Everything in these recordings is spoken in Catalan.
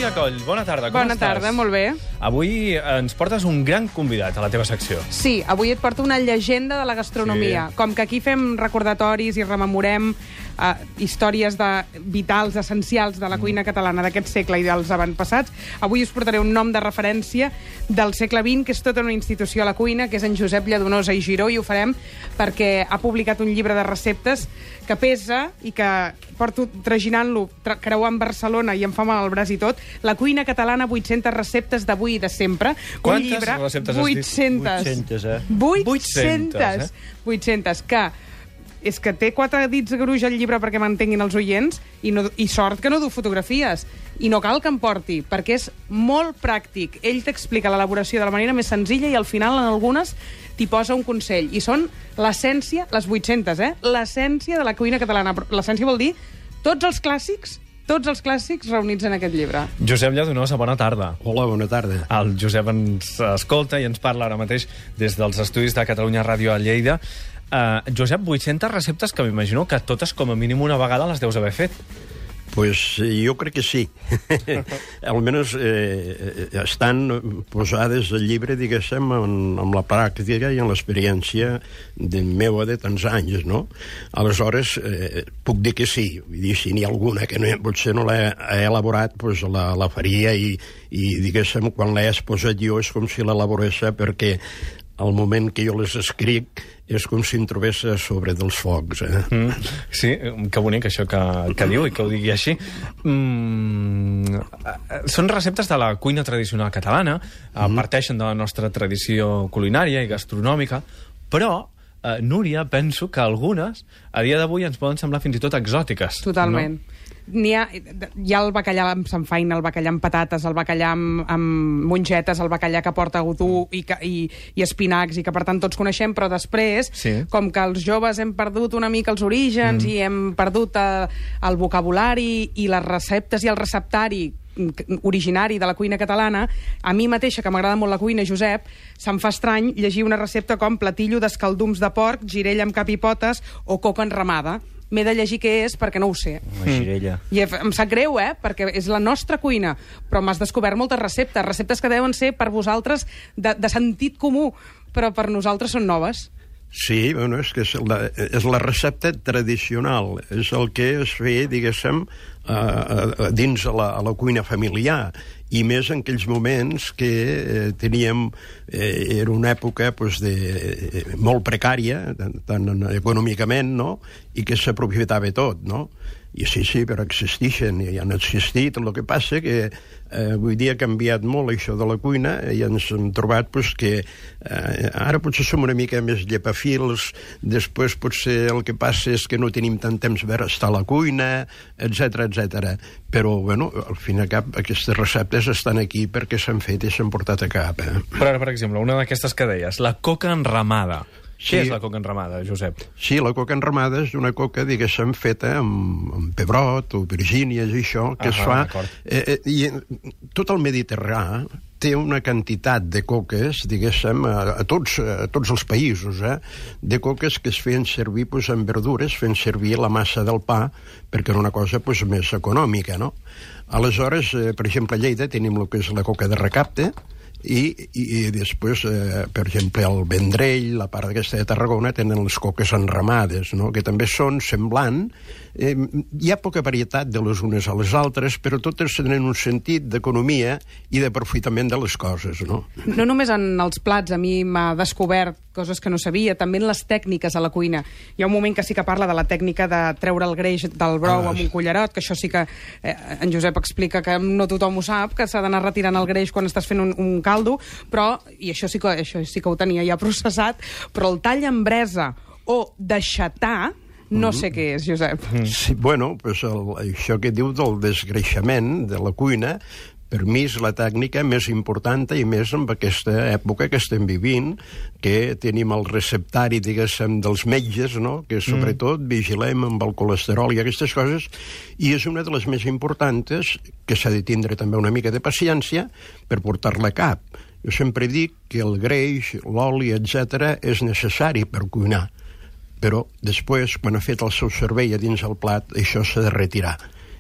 Núria Coll, bona tarda, com Bona estàs? tarda, molt bé. Avui ens portes un gran convidat a la teva secció. Sí, avui et porto una llegenda de la gastronomia. Sí. Com que aquí fem recordatoris i rememorem històries vitals, essencials de la cuina catalana d'aquest segle i dels avantpassats, avui us portaré un nom de referència del segle XX, que és tota una institució a la cuina, que és en Josep Lladonosa i Giró, i ho farem perquè ha publicat un llibre de receptes que pesa i que porto traginant-lo, creuant Barcelona i em fa mal al braç i tot. La cuina catalana, 800 receptes d'avui i de sempre. Quantes un llibre, receptes has dit? 800. 800, 800, que és que té 4 dits gruix al llibre perquè m'entenguin els oients i sort que no du fotografies. I no cal que em porti, perquè és molt pràctic. Ell t'explica l'elaboració de la manera més senzilla i al final en algunes t'hi posa un consell. I són l'essència, les 800, l'essència de la cuina catalana. L'essència vol dir tots els clàssics reunits en aquest llibre. Josep Lladonosa, bona tarda. Hola, bona tarda. El Josep ens escolta i ens parla ara mateix des dels estudis de Catalunya Ràdio a Lleida. Josep, 800 receptes que m'imagino que totes com a mínim una vegada les deus haver fet. Pues jo crec que sí. Almenys estan posades al llibre, diguéssim, amb la pràctica i amb l'experiència meva de tants anys, no? Aleshores, puc dir que sí. Vull dir, si n'hi ha alguna que potser no l'he elaborat, pues la faria i diguéssim, quan l'he exposat jo és com si l'elaborés, perquè al moment que jo les escric és com si em trobés a sobre dels focs. Sí, que bonic això que diu i que ho digui així. Són receptes de la cuina tradicional catalana, parteixen de la nostra tradició culinària i gastronòmica, però, Núria, penso que algunes a dia d'avui ens poden semblar fins i tot exòtiques. Totalment. No? Hi ha el bacallà amb samfaina, el bacallà amb patates, el bacallà amb mongetes, el bacallà que porta godú i espinacs, i que per tant tots coneixem, però després, com que els joves hem perdut una mica els orígens i hem perdut el vocabulari i les receptes i el receptari originari de la cuina catalana, a mi mateixa, que m'agrada molt la cuina, Josep, se'm fa estrany llegir una recepta com platillo d'escaldums de porc, girella amb cap i potes o coca enramada. M'he de llegir què és perquè no ho sé. Una girella. I em sap greu, perquè és la nostra cuina, però m'has descobert moltes receptes que deuen ser per vosaltres de sentit comú, però per nosaltres són noves. Sí, bueno, és que és la recepta tradicional, és el que es feia, diguéssim, dins a la cuina familiar, i més en aquells moments que teníem, era una època molt precària, tant econòmicament, no?, i que s'aprofitava tot, no? I sí, però existeixen, i han existit. El que passa que avui dia ha canviat molt això de la cuina i ens hem trobat que ara potser som una mica més llepafils, després potser el que passa és que no tenim tant temps per estar a la cuina, etc. Però, bueno, al fin i al cap, aquestes receptes estan aquí perquè s'han fet i s'han portat a cap. Però ara, per exemple, una d'aquestes que deies, la coca enramada. Sí. Què és la coca enramada, Josep? Sí, la coca enramada és una coca, diguéssim, feta amb pebrot o virgínies i això, que es fa... I tot el Mediterrani té una quantitat de coques, diguéssim, a tots els països, de coques que es feien servir amb verdures, fent servir la massa del pa, perquè era una cosa més econòmica, no? Aleshores, per exemple, a Lleida tenim el que és la coca de recapte, i després, per exemple, el Vendrell, la part aquesta de Tarragona, tenen les coques enramades, no?, que també són semblant. Hi ha poca varietat de les unes a les altres, però totes tenen un sentit d'economia i d'aprofitament de les coses, no? No només en els plats, a mi m'ha descobert coses que no sabia, també en les tècniques a la cuina. Hi ha un moment que sí que parla de la tècnica de treure el greix del brou amb un cullerot, que això sí que en Josep explica que no tothom ho sap, que s'ha d'anar retirant el greix quan estàs fent un caldo, però, i això sí que ho tenia ja processat, però el tall amb bresa o deixatar, no sé què és, Josep. Sí, bueno, això que diu del desgreixament de la cuina, per mi és la tècnica més important i més en aquesta època que estem vivint, que tenim el receptari, diguéssim, dels metges, no?, que sobretot vigilem amb el colesterol i aquestes coses, i és una de les més importants, que s'ha de tindre també una mica de paciència per portar-la a cap. Jo sempre dic que el greix, l'oli, etc., és necessari per cuinar, però després, quan ha fet el seu servei a dins el plat, això s'ha de retirar.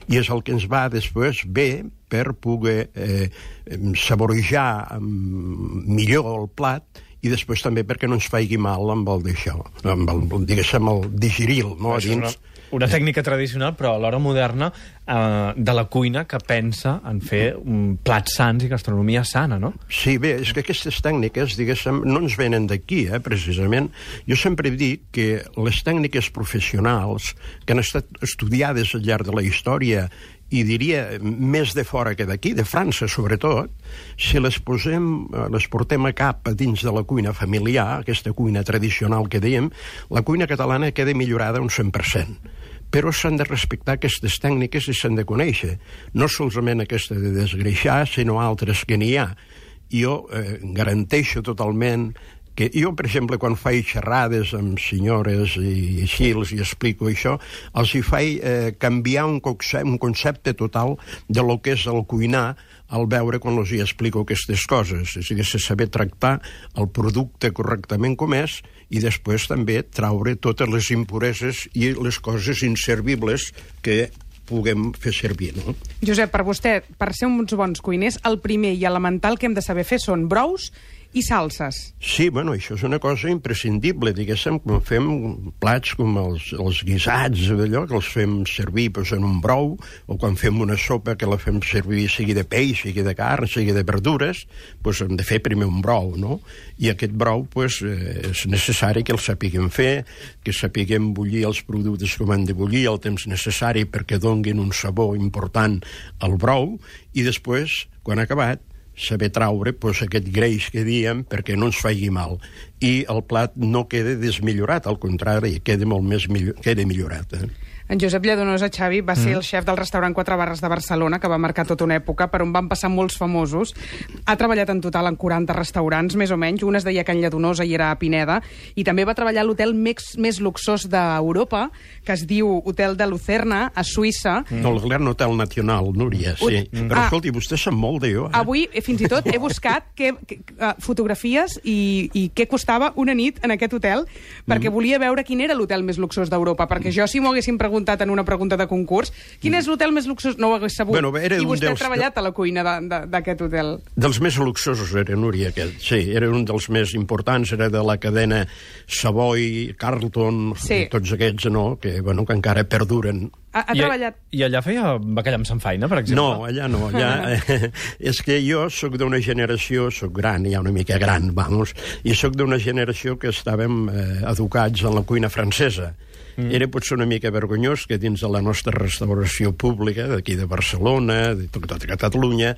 I és el que ens va després bé per poder saborejar millor el plat i després també perquè no ens faci mal amb el d'això, amb el, diguéssim, el digeril, no? A dins. Una tècnica tradicional, però alhora moderna, de la cuina que pensa en fer plats sans i gastronomia sana, no? Sí, bé, és que aquestes tècniques, diguéssim, no ens venen d'aquí, precisament. Jo sempre dic que les tècniques professionals que han estat estudiades al llarg de la història i diria més de fora que d'aquí, de França sobretot, si les portem a cap dins de la cuina familiar, aquesta cuina tradicional que dèiem, la cuina catalana queda millorada un 100%. Però s'han de respectar aquestes tècniques i s'han de conèixer. No solament aquesta de desgreixar, sinó altres que n'hi ha. Jo garanteixo totalment que jo, per exemple, quan faig xerrades amb senyores i així els explico això, els hi faig canviar un concepte total de lo que és el cuinar al veure quan els hi explico aquestes coses. És a dir, saber tractar el producte correctament com és i després també traure totes les impureses i les coses inservibles que puguem fer servir, no? Josep, per vostè, per ser uns bons cuiners, el primer i elemental que hem de saber fer són brous i salses. Sí, bueno, això és una cosa imprescindible, diguéssim, quan fem plats com els guisats, d'allò, que els fem servir en un brou, o quan fem una sopa que la fem servir sigui de peix, sigui de carn, sigui de verdures, doncs hem de fer primer un brou, no? I aquest brou, doncs, és necessari que el sapiguem fer, que sapiguem bullir els productes com han de bullir, el temps necessari perquè donguin un sabor important al brou, i després, quan ha acabat, saber traure aquest greix que diem perquè no ens faci mal. I el plat no queda desmillorat, al contrari, queda molt més queda millorat. En Josep Lladonosa, Xavi, va ser el xef del restaurant 4 Barres de Barcelona, que va marcar tota una època, per on van passar molts famosos. Ha treballat en total en 40 restaurants, més o menys. Un es deia Can Lladonosa i era a Pineda. I també va treballar a l'hotel més luxós d'Europa, que es diu Hotel de Lucerna, a Suïssa. No, el Gran Hotel Nacional, Núria, sí. Però, escolti, vostè sap molt d'allò. Avui, fins i tot, he buscat fotografies i què costava una nit en aquest hotel, perquè volia veure quin era l'hotel més luxós d'Europa, perquè jo, si m'ho haguessin preguntat en una pregunta de concurs, quin és l'hotel més luxós? No ho hagués sabut. Bueno, i vostè ha treballat a la cuina d'aquest hotel. Dels més luxosos era, Núria, aquest. Sí, era un dels més importants, era de la cadena Savoy, Carlton, tots aquests, no?, que encara perduren. Ha treballat... I allà feia bacallà amb samfaina, per exemple? No, allà no. És que jo sóc d'una generació, sóc gran, ja una mica gran, vamos, i sóc d'una generació que estàvem educats en la cuina francesa. Era potser una mica vergonyós que dins de la nostra restauració pública, d'aquí de Barcelona, de tota Catalunya,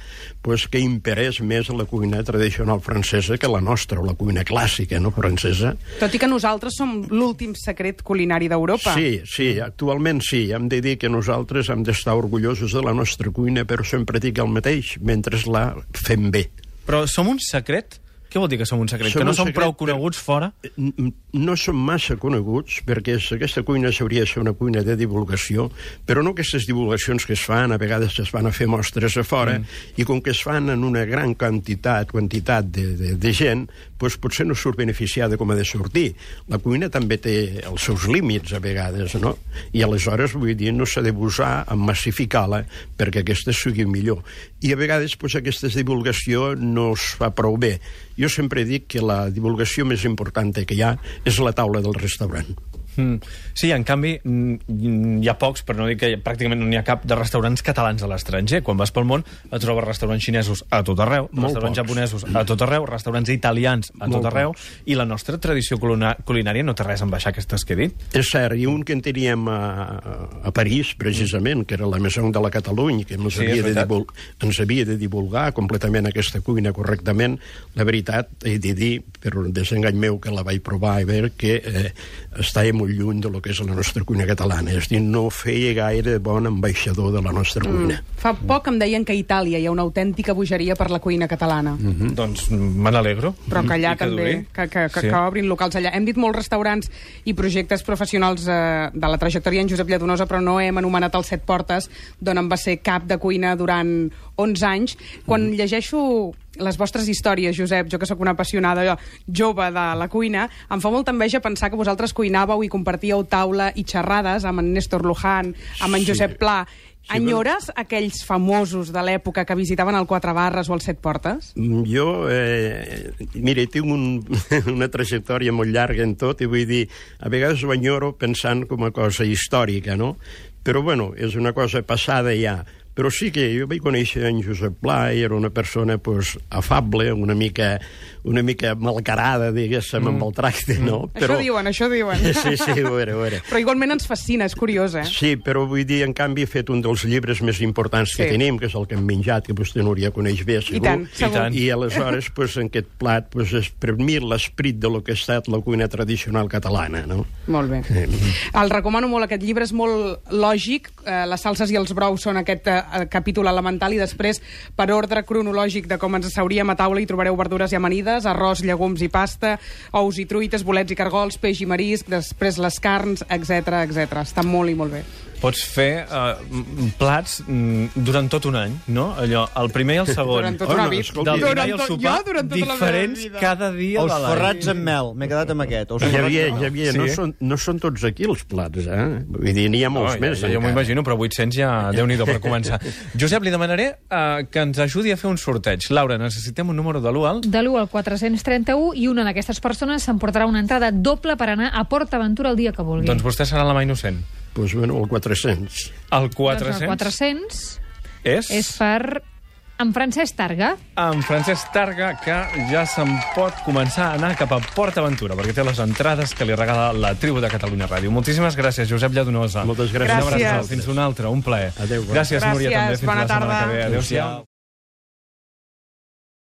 que imperés més la cuina tradicional francesa que la nostra, o la cuina clàssica, no, francesa. Tot i que nosaltres som l'últim secret culinari d'Europa. Sí, actualment sí. Hem de dir que nosaltres hem d'estar orgullosos de la nostra cuina, però sempre dic el mateix, mentre la fem bé. Però som un secret? Què vol dir que som un secret? Que no som prou coneguts fora? No som massa coneguts, perquè aquesta cuina s'hauria de ser una cuina de divulgació, però no aquestes divulgacions que es fan, a vegades es van a fer mostres a fora, i com que es fan en una gran quantitat de gent, doncs potser no surt beneficiada com ha de sortir. La cuina també té els seus límits, a vegades, no? I aleshores, vull dir, no s'ha de buscar en massificar-la perquè aquesta sigui millor. I a vegades aquesta divulgació no es fa prou bé. Jo sempre dic que la divulgació més important que hi ha és la taula del restaurant. Sí, en canvi, hi ha pocs, per no dir que pràcticament no n'hi ha cap, de restaurants catalans a l'estranger. Quan vas pel món, et trobes restaurants xinesos a tot arreu, restaurants japonesos a tot arreu, restaurants italians a tot arreu, i la nostra tradició culinària no té res a baixar aquestes que he dit. És cert, i un que en teníem a París, precisament, que era la Maison de la Catalunya, que ens havia de divulgar completament aquesta cuina correctament. La veritat, he de dir, per un desengany meu, que la vaig provar i veure que estava molt lluny de lo que és la nostra cuina catalana. És a dir, no feia gaire bon ambaixador de la nostra cuina. Fa poc em deien que a Itàlia hi ha una autèntica bogeria per la cuina catalana. Doncs me n'alegro. Però que allà també, que obrin locals allà. Hem dit molts restaurants i projectes professionals de la trajectòria en Josep Lladonosa, però no hem anomenat els Set Portes, d'on em va ser cap de cuina durant 11 anys. Quan llegeixo les vostres històries, Josep, jo que sóc una apassionada jove de la cuina, em fa molta enveja pensar que vosaltres cuinàveu i compartíeu taula i xerrades amb en Néstor Luján, amb en Josep Pla. Enyores aquells famosos de l'època que visitaven el Quatre Barres o el Set Portes? Jo, mira, tinc una trajectòria molt llarga en tot i vull dir, a vegades ho enyoro pensant com a cosa històrica, no? Però, bueno, és una cosa passada ja. Però sí que jo vaig conèixer en Josep Pla i era una persona pues, afable, una mica malcarada, diguéssim, amb el tracte, no? Però... Això diuen. Sí, ho era. Però igualment ens fascina, és curiós, eh? Sí, però vull dir, en canvi, he fet un dels llibres més importants que tenim, que és el que hem menjat, que vostè, Núria, coneix bé, segur. I tant, segur. I aleshores, pues, en aquest plat, pues, és per mi l'esperit de lo que ha estat la cuina tradicional catalana, no? Molt bé. El recomano molt, aquest llibre és molt lògic, les salses i els brous són aquest capítol elemental i després, per ordre cronològic de com ens asseuríem a taula, hi trobareu verdures i amanides, arròs, llegums i pasta, ous i truites, bolets i cargols, peix i marisc, després les carns, etc. Està molt i molt bé. Pots fer plats durant tot un any, no? Allò, el primer i el segon. Durant tota la vida. Del dinar i el sopar, diferents cada dia de l'any. Els forrats amb mel, m'he quedat amb aquest. Javier, no són tots aquí els plats, eh? Vull dir, n'hi ha molts més. Jo m'ho imagino, però 800 ja, Déu-n'hi-do per començar. Josep, li demanaré que ens ajudi a fer un sorteig. Laura, necessitem un número de l'1 al... De l'1 al 431, i una d'aquestes persones s'emportarà una entrada doble per anar a Port Aventura el dia que vulgui. Doncs vostè serà la mà innocent. Doncs, bueno, el 400. El 400? Doncs el 400 és per en Francesc Targa. En Francesc Targa, que ja se'n pot començar a anar cap a Port Aventura, perquè té les entrades que li regala la Tribu de Catalunya Ràdio. Moltíssimes gràcies, Josep Lladonosa. Moltes gràcies. Una abraçada. Fins una altra, un plaer. Adéu. Gràcies, Núria, també. Fins Bona la setmana tarda. que ve. Adéu-siau.